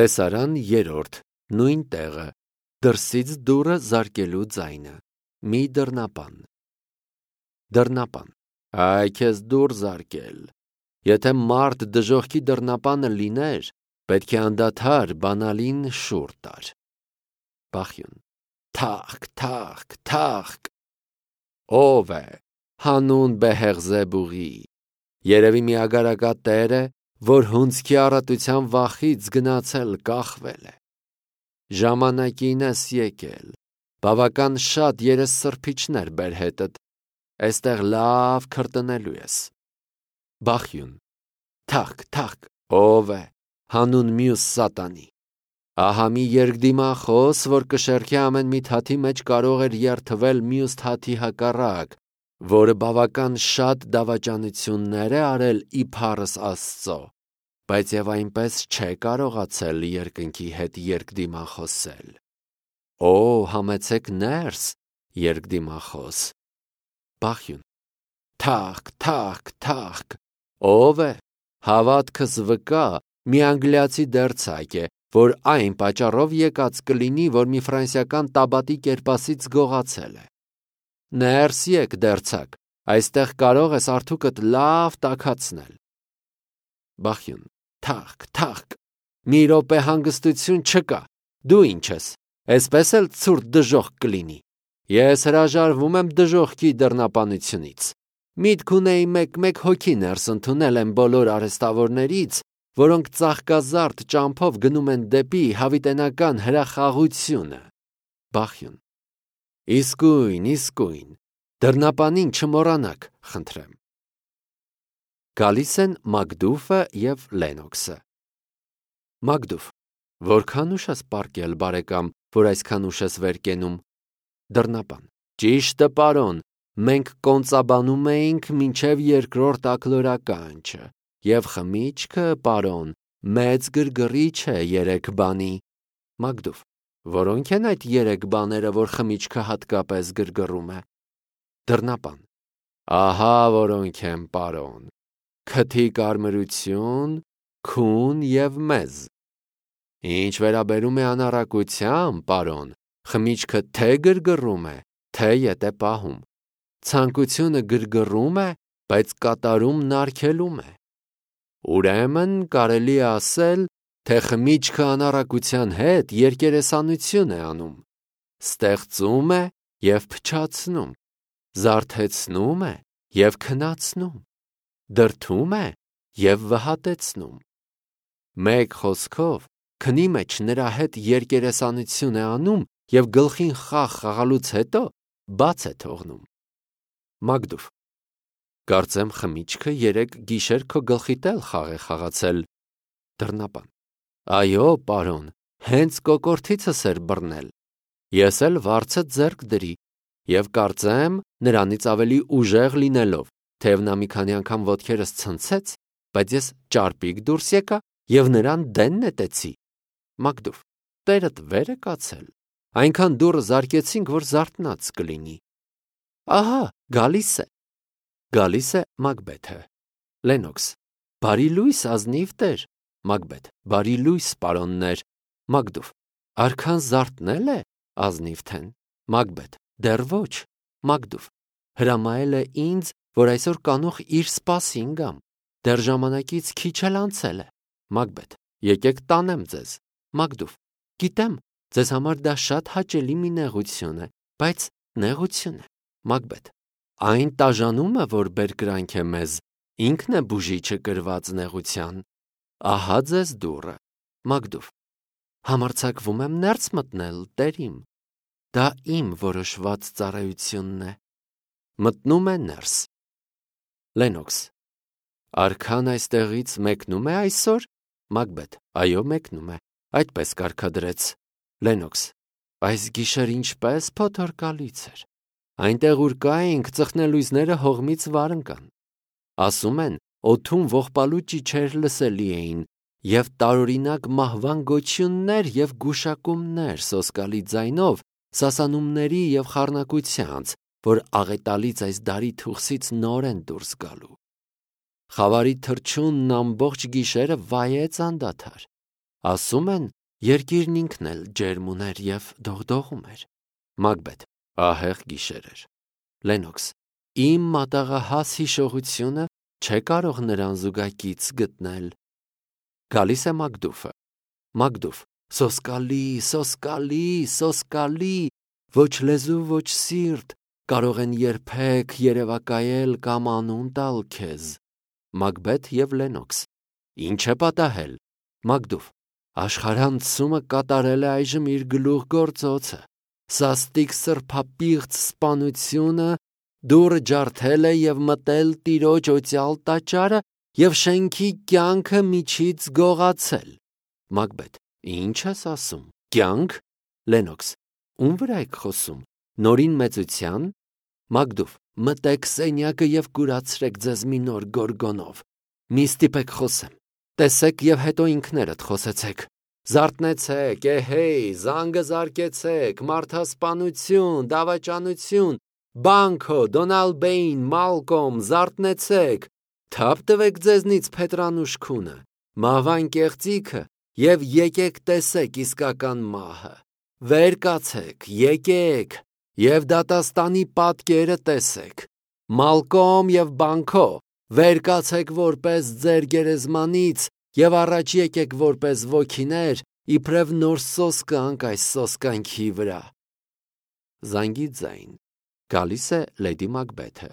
Տեսարան երրորդ, նույն տեղը, դրսից դուռը զարկելու ձայնը, մի դռնապան։ Դռնապան, այ քեզ դուռ զարկել։ Եթե մարդ դժոխքի դռնապանը լիներ, պետք է անդադար բանալին շուռ տար։ Բախյուն, թախկ, թախկ, թախկ։ Ով է, հանուն Բեհեղզեբուղի, երևի մի ագարակա տեր է, որ հունձքի առատության վախից գնացել կախվել է։ Ժամանակին ես եկել, բավական շատ երեսսրբիչներ բեր հետդ, էստեղ լավ քրտնելու ես։ Բախյուն, թախկ, թախկ, ով է, հանուն մյուս սատանի։ Ահա մի երկդիմախոս, որ կշեռքի ամեն մի թաթի մեջ կարող էր երթվել մյուս թաթի հակառակ, որը բավական շատ դավաճանություններ է արել իբարս Աստծո, բայց եւ այնպես չէ կարողացել երկնքի հետ երկդիմախոսել։ Օ, համեցեք ներս, երկդիմախոս։ Բախյուն, թախկ, թախկ, թախկ, ով է, հավատքս վկա, մի անգլիացի դերձակ է, որ այն պատճառով եկած կլինի, որ մի ֆրանսիական տաբատի կերպասից գողացել է։ Ներս եկ դերձակ, այստեղ կարող ես արթուկդ լավ տաքացնել։ Բախյուն, թախկ, թախկ, մի րոպե հանգստություն չկա, դու ինչ ես, էսպես էլ ցուրտ դժոխք կլինի։ Ես հրաժարվում եմ դժոխքի դռնապանությունից։ Միտք ունեի մեկ հոգի ներս ընդունել են բոլոր արհեստավորներից, որոնք ծաղկազարդ ճամփով գնում են դեպի հավիտենական հրախաղությունը։ Բախյուն, իսկույն, դռնապանին չմոռանաք, խնդրեմ։ Գալիս են Մակդուֆը և Լենոքսը։ Մակդուֆ, որքան ուշ ես պառկել, բարեկամ, որ այսքան ուշ ես վեր կենում։ Դռնապան, ճիշտը, պարոն, մենք կոնծաբանում էինք մինչև երկրորդ աքլորականչը, և խմիչքը, պարոն, մեծ գրգռիչ է երեք բանի։ Մակդուֆ, որոնք են այդ երեք բաները, որ խմիչքը հատկապես գրգռում է։ Դռնապան, ահա որոնք են, պարոն, քթի կարմրություն, քուն և մեզ։ Ինչ վերաբերում է անառակության, պարոն, խմիչքը թե գրգռում է, թե ետ է պահում։ Ցանկությունը գրգռում է, բայց կատարումն արգելում է։ Ուրեմն կարելի է ասել, թե խմիչքը անառակության հետ երկերեսանություն է անում, ստեղծում է և փչացնում, զարթեցնում է և քնացնում, դրդում է և վհատեցնում։ Մեկ խոսքով, քնի մեջ նրա հետ երկերեսանություն է անում և գլխին խաղ խաղալուց հետո բաց է թողնում։ Մակդուֆ, կարծեմ խմիչքը երեկ գիշեր քո գլխիդ էլ խաղ է խաղացել։ Դռնապան, այո, պարոն, հենց կոկորդիցս էր բռնել։ Ես էլ վարձը ձեռք դրի և կարծեմ նրանից ավելի ուժեղ լինելով, թեև նա մի քանի անգամ ոտքերս ցնցեց, բայց ես ճարպիկ դուրս եկա և նրան դեն նետեցի։ Մակդուֆ, տերդ վեր է կացել, այնքան դուռը զարկեցինք, որ զարթնած կլինի։ Ահա, գալիս է։ Գալիս է Մակբեթը։ Լենոքս, բարի լույս, ազնիվ տեր։ Մակբեթ, բարի լույս, պարոններ։ Մակդուֆ, արքան զարթնել է, ազնիվ թեն։ Մակբեթ, դեռ ոչ։ Մակդուֆ, հրամայել է ինձ, որ այսօր կանուխ իր սպասին գամ, դեռ ժամանակից քիչ էլ անցել է։ Մակբեթ, եկեք տանեմ ձեզ։ Մակդուֆ, գիտեմ, ձեզ համար դա շատ հաճելի մի նեղություն է, բայց նեղություն է։ Մակբեթ, այն տաժանումը, որ բերկրանք է մեզ, ինքն է բուժիչը կրված նեղության։ Ահա ձեզ դուռը։ Մակդուֆ, համարձակվում եմ ներս մտնել, տերիմ։ Դա իմ որոշված ծառայությունն է։ Մտնում է ներս։ Լենոքս, արքան այստեղից մեկնում է այսօր։ Մակբեթ, այո, մեկնում է, այդպես կարգադրեց։ Լենոքս, այս գիշեր ինչպես փոթորկալից էր։ Այնտեղ ուր կայինք, ծխնելույզները հողմից վար ընկան։ Ասում են, օդում ողբալու ճիչեր լսելի էին և տարօրինակ մահվան գոչյուններ և գուշակումներ սոսկալի ձայնով սասանումների և խառնակությանց, որ աղետալից այս դարի թուխսից նոր են դուրս գալու։ Խավարի թռչունն ամբողջ գիշերը վայեց անդադար։ Ասում են, երկիրն ինքն էլ ջերմ ուներ և դողդողում էր։ Մագբեթ, ահեղ գիշեր էր։ Լենոքս, իմ մատաղահաս հիշողությունը չէ կարող նրան զուգակից գտնել։ Գալիս է Մակդուֆը։ Մակդուֆ, սոսկալի, սոսկալի, սոսկալի, ոչ լեզու, ոչ սիրտ, կարող են երբեք երևակայել կամ անուն տալ քեզ։ Մակբեթ և Լենոքս, ինչ է պատահել։ Մակդուֆ, աշխարհանցումը կատարել է այժմ իր գլուխգործոցը, սաստիկ սրբապիղծ սպանությունը դուռը ջարդել է և մտել տիրոջ օծյալ տաճարը և շենքի կյանքը միջից գողացել։ Մակբեթ, ինչ ես ասում, կյանք։ Լենոքս, ում վրա եք խոսում, նորին մեծության։ Մակդուֆ, մտեք սենյակը և կուրացրեք ձեզ մի նոր գորգոնով, մի ստիպեք խոսեմ, տեսեք և հետո ինքներդ խոսեցեք, զարթնեցեք, էհեյ, զանգը զարկեցեք, մարդասպանություն, դավաճանություն, Բանկո, Դոնալբեին, Մալկոմ, զարթնեցեք, թափ տվեք ձեզնից Փետրանուշ քունը, մահվան կեղծիքը և եկեք տեսեք իսկական մահը, վեր կացեք, եկեք և դատաստանի պատկերը տեսեք, Մալկոմ և Բանկո, վեր կացեք որպես ձեր գերեզմանից և առաջ եկեք որպես ոգիներ, իբրև նոր սոսկ անք այս սոսկանքի վրա։ Զանգի ձայն։ Գալիս է Լեդի Մակբեթը։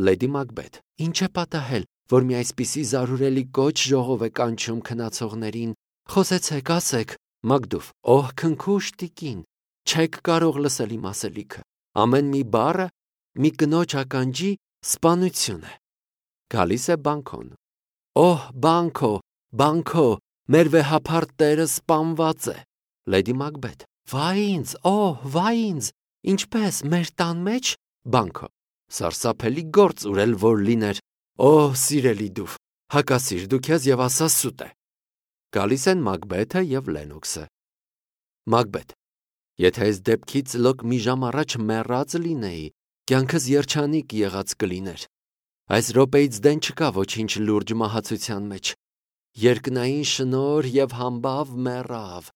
Լեդի Մակբեթ, ինչ է պատահել, որ մի այսպիսի զարհուրելի կոչ ժողով է կանչում քնացողներին, խոսեցեք, ասեք։ Մակդուֆ, օհ քնքուշ տիկին, չեք կարող լսել իմ ասելիքը, ամեն մի բառը մի կնոջ ականջի սպանություն է։ Գալիս է Բանկոն։ Օհ Բանկո, Բանկո, մեր վեհափառ տերը սպանված է։ Լեդի Մակբեթ, վայ ինձ, օհ, վայ ինձ, ինչպես, մեր տան մեջ։ Բանկո, սարսափելի գործ ուր որ լիներ, օհ սիրելի դուվ, հակասիր դու քեզ և ասա սուտ է։ Գալիս են Մակբեթը և Լենոքսը։ Մակբեթ, եթե այս դեպքից լոկ մի ժամ առաջ մեռած լինեի, կյանքս երջանիկ եղած կլիներ։ Այս րոպեից դեն չկա ոչինչ լուրջ մահացության մեջ։ Երկնային շնորհ և համբավ մեռավ։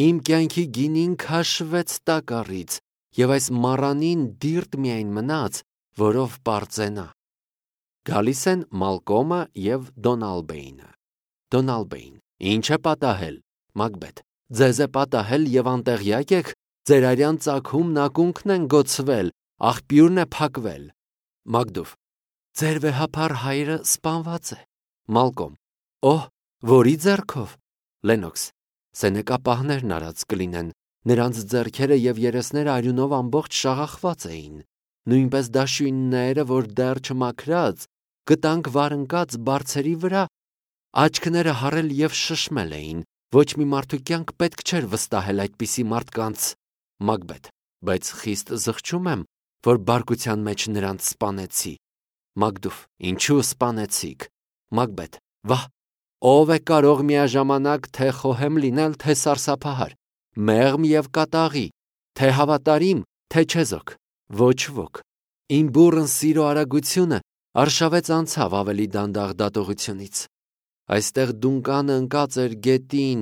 Իմ կյանքի գինին քաշվեց տակառից, և այս մառանին դիրտ միայն մնաց, որով պարծենա։ Գալիս են Մալկոմը և Դոնալբեինը։ Դոնալբեին, ինչ է պատահել։ Մակբեթ, ձեզ է պատահել և անտեղյակ եք, ձեր արյան ծագումն ակունքն են գոցվել, աղբյուրն է փակվել։ Մակդուֆ, ձեր վեհափառ հայրը սպանված է։ Մալկոմ, օհ, որի ձեռքով։ Լենոքս, սենեկապահներն արած կլինեն, նրանց ձեռքերը և երեսները արյունով ամբողջ շաղախված էին, նույնպես դաշույնները, որ դեռ չմաքրած, կտանք վարընկած բարձերի վրա, աչքները հառել և շշմել էին, ոչ մի մարդու կյանք պետք չէր վստահել այդպիսի մարդկանց։ Մակբեթ, բայց խիստ զղջում եմ, որ բարկության մեջ նրանց սպանեցի։ Մակդուֆ, ինչու սպանեցիք։ Մակբեթ, վահ, ով է կարող միաժամանակ թե խոհեմ լինել, թե սարսափահար, մեղմ և կատաղի, թե հավատարիմ, թե չեզոք, ոչ ոք։ Իմ բուռն սիրո արագությունը արշավեց անցավ ավելի դանդաղ դատողությունից։ Այստեղ դունկանը ընկած էր գետին,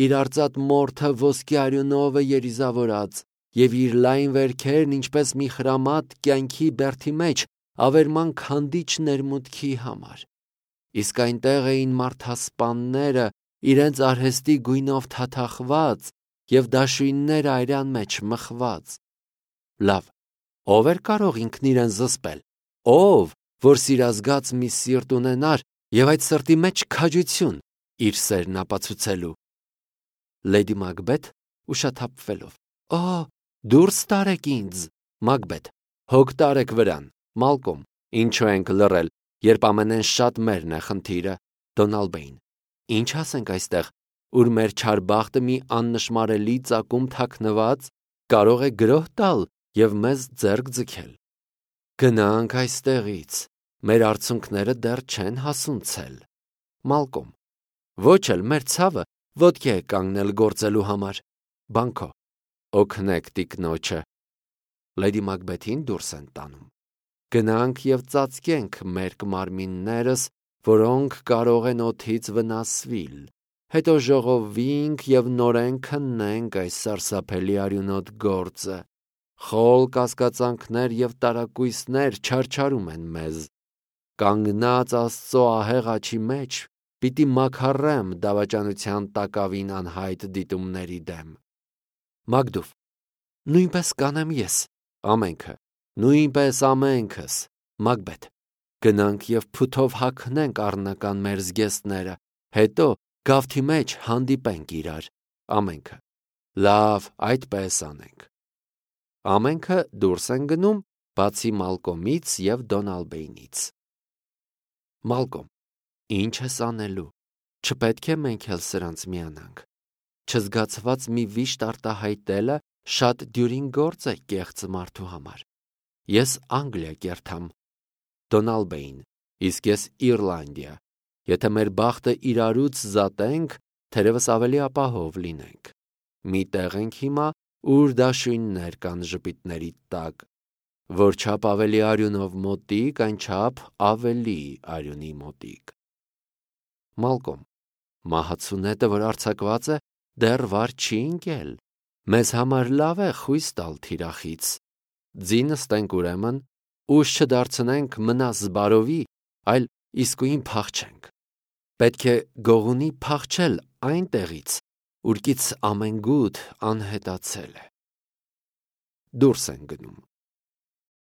իր արծաթ մորթը ոսկի արյունով է երիզավորած, և իր լայն վերքերն ինչպես մի խրամատ կյանքի բերդի մեջ ավերման քանդիչ ներմուտքի համար։ Իսկ այնտեղ էին մարդասպանները իրենց արհեստի գույնով թաթախված և դաշույնները արյան մեջ մխված։ Լավ, ով էր կարող ինքն իրեն զսպել, ով, որ սիրազգաց մի սիրտ ունենար և այդ սրտի մեջ քաջություն իր սերն ապացուցելու։ Լեդի Մակբեթ ուշաթափվելով, օհ, դուրս տարեք ինձ։ Մակբեթ, հոգ տարեք վրան։ Մալկոմ, ինչու ենք լռել, երբ ամենեն շատ մերն է խնդիրը։ Դոնալբեին, ինչ ասենք այստեղ, ուր մեր չար բախտը մի աննշմարելի ծագում թաքնված կարող է գրոհ տալ և մեզ ձեռք ձգել։ Գնանք այստեղից, մեր արցունքները դեռ չեն հասունցել։ Մալկոմ, ոչ էլ մեր ցավը ոտքի է կանգնել գործելու համար։ Բանկո, օգնեք տիկնոջը։ Լեդի Մակբեթին դուրս են տանում։ Գնանք և ծածկենք մերկ մարմիններս, որոնք կարող են օդից վնասվել, հետո ժողովվինք և նորեն քննենք այս սարսափելի արյունոտ գործը։ Խոլ կասկածանքներ և տարակույսներ չարչարում են մեզ։ Կանգնած Աստծո ահեղ աջի մեջ պիտի մաքարեմ դավաճանության տակավին անհայտ դիտումների դեմ։ Մագդուվ. Նույնպես կանեմ ես։ Ամենքը. նույնպես ամենքս։ Մագբեթ. գնանք և փութով հագնենք առնական մեր զգեստները, հետո գավթի մեջ հանդիպենք իրար։ Ամենքը. լավ, այդպես անենք։ Ամենքը դուրս են գնում, բացի Մալկոմից և Դոնալբեյնից։ Մալկոմ. Ինչ ես անելու, չպետք է մենք էլ սրանց միանանք։ Չզգացված մի վիշտ արտահայտելը շատ դյուրին գործ է կեղծ մարդու համար։ Ես Անգլիա կերթամ։ Դոնալբեյն. իսկ ես Իռլանդիա։ Եթե մեր բախտը իրարուց զատենք, թերևս ավելի ապահով լինենք։ Մի տեղ ենք հիմա, ուր դաշույններ կան ժպիտների տակ։ Որչափ ավելի արյունով մոտիկ, այնչափ ավելի արյունի մոտիկ։ Մալկոմ. մահացու նետը, որ արձակված է, դեռ վար չի ընկել։ Մեզ համար լավ է խույս տալ թիրախից։ Ձի նստենք ուրեմն, ուժ չդարձնենք մնա զբարովի, այլ իսկույն փախչենք։ Պետք է գողունի փախչել այնտեղից, ուրկից ամենգութ անհետացել է։ Դուրս են գնում։